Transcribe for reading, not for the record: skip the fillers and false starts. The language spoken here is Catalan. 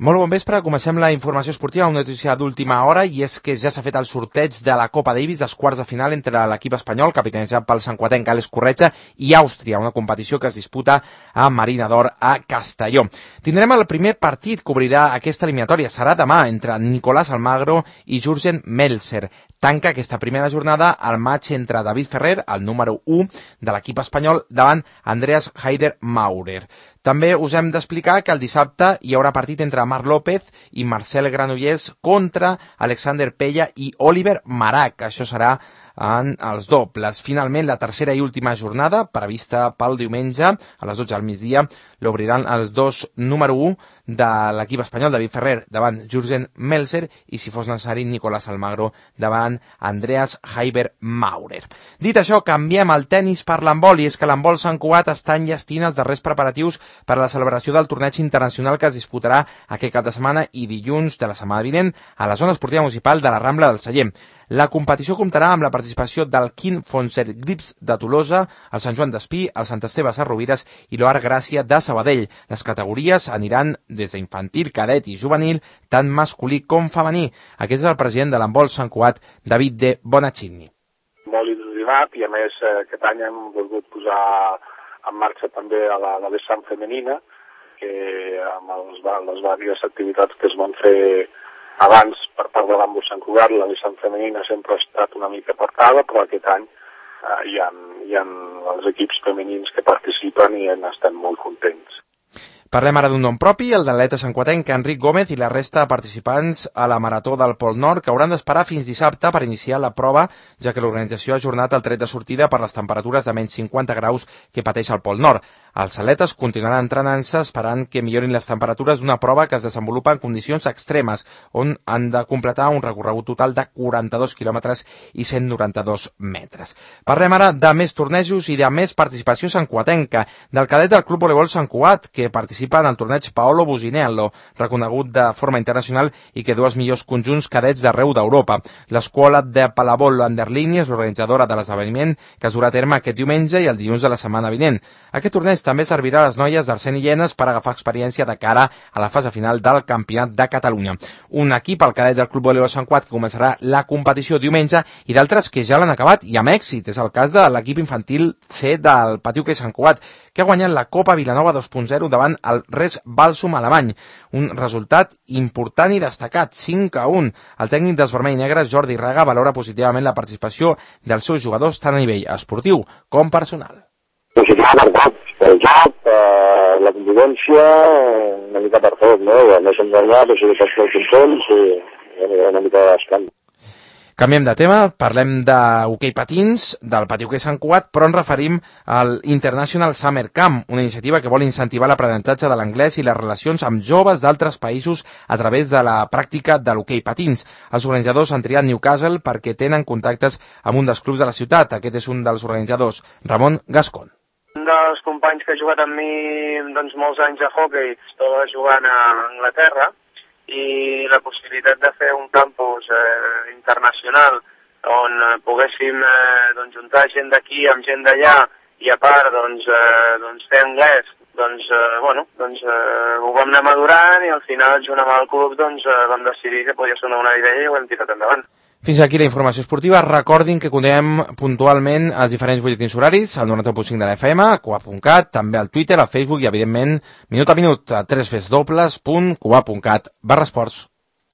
Molt bon vespre, comencem la informació esportiva, una notícia d'última hora, i és que ja s'ha fet el sorteig de la Copa Davis dels quarts de final entre l'equip espanyol, capitanejat pel santcuatenc Àlex Corretja, i Àustria, una competició que es disputa a Marina d'Or a Castelló. Tindrem el primer partit que obrirà aquesta eliminatòria, serà demà, entre Nicolás Almagro i Jürgen Melzer. Tanca aquesta primera jornada el match entre David Ferrer, el número 1 de l'equip espanyol, davant Andreas Haider Maurer. També us hem d'explicar que el dissabte hi haurà partit entre Marc López i Marcel Granollers contra Alexander Pella i Oliver Marac. Això serà en els dobles. Finalment, la tercera i última jornada, prevista pel diumenge, a les 12 al migdia, l'obriran els dos número 1 de l'equip espanyol, David Ferrer, davant Jürgen Melzer, i, si fos necessari, Nicolás Almagro davant Andreas Haider Maurer. Dit això, canviem el tennis per l'handbol, i és que l'handbol Sant Cugat està enllestint els darrers preparatius per a la celebració del torneig internacional que es disputarà aquest cap de setmana i dilluns de la setmana vinent a la zona esportiva municipal de la Rambla del Celler. La competició comptarà amb la participació del Quim Fonser Grips de Tolosa, el Sant Joan d'Espí, el Sant Esteve Sarrovires i l'Oar Gràcia de Sabadell. Les categories aniran des d'infantil, cadet i juvenil, tant masculí com femení. Aquest és el president de l'handbol Sant Cugat, David de Bonacini. Molt il·lusionat, i a més aquest any hem volgut posar en marxa també a la vessant femenina, que amb les diverses activitats que es van fer abans per part de l'handbol Sant Cugat, la vessant femenina sempre ha estat una mica apartada, però aquest any hi ha els equips femenins que participen i estem molt contents. Parlem ara d'un nom propi, el de l'atleta santcuatenc Enric Gómez i la resta de participants a la Marató del Pol Nord, que hauran d'esperar fins dissabte per iniciar la prova, ja que l'organització ha ajornat el tret de sortida per les temperatures de menys 50 graus que pateix el Pol Nord. Els atletes continuaran entrenant-se esperant que millorin les temperatures d'una prova que es desenvolupa en condicions extremes, on han de completar un recorregut total de 42 quilòmetres i 192 metres. Parlem ara de més tornejos i de més participació santcuatenca, del cadet del Club Voleibol Sant Cugat, que participa en el torneig Paolo Businello, reconegut de forma internacional i que du els millors conjunts cadets d'arreu d'Europa. L'escola de Palavol Anderlini és l'organitzadora de l'esdeveniment, que es durà a terme aquest diumenge i el dilluns de la setmana vinent. Aquest torneig també servirà a les noies d'Arsène i Llenes per agafar experiència de cara a la fase final del Campionat de Catalunya. Un equip, el cadet del Club Voleibol Sant Cugat, que començarà la competició diumenge, i d'altres que ja l'han acabat i amb èxit. És el cas de l'equip infantil C del Patiu que Sant Cugat, que ha guanyat la Copa Vilanova 2.0 davant el Res Balsum alemany. Un resultat important i destacat, 5-1. El tècnic dels vermell i negres, Jordi Raga, valora positivament la participació dels seus jugadors tant a nivell esportiu com personal. Positiu marcat pel joc, la convivència, una mica per tot, no? I a més enganyat, o sigui, tots els contents i una mica d'escant. Canviem de tema, parlem d'hoquei patins, del Patiuquer Sant Cugat, però ens referim al International Summer Camp, una iniciativa que vol incentivar l'aprenentatge de l'anglès i les relacions amb joves d'altres països a través de la pràctica de l'hoquei patins. Els organitzadors han triat Newcastle perquè tenen contactes amb un dels clubs de la ciutat. Aquest és un dels organitzadors, Ramon Gascon. Un dels companys que ha jugat amb mi molts anys a hoquei, estava jugant a Anglaterra, i la possibilitat de fer un campus internacional on poguéssim juntar gent d'aquí amb gent d'allà i a part fer anglès, ho vam anar madurant i al final junt amb el club vam decidir que podia ser una bona idea i ho hem tirat endavant. Fins aquí la informació esportiva. Recordin que continuem puntualment els diferents butlletins horaris, al 90.5 de la FM, a cugat.cat, també al Twitter, al Facebook i, evidentment, minut a minut, a www.cugat.cat/esports.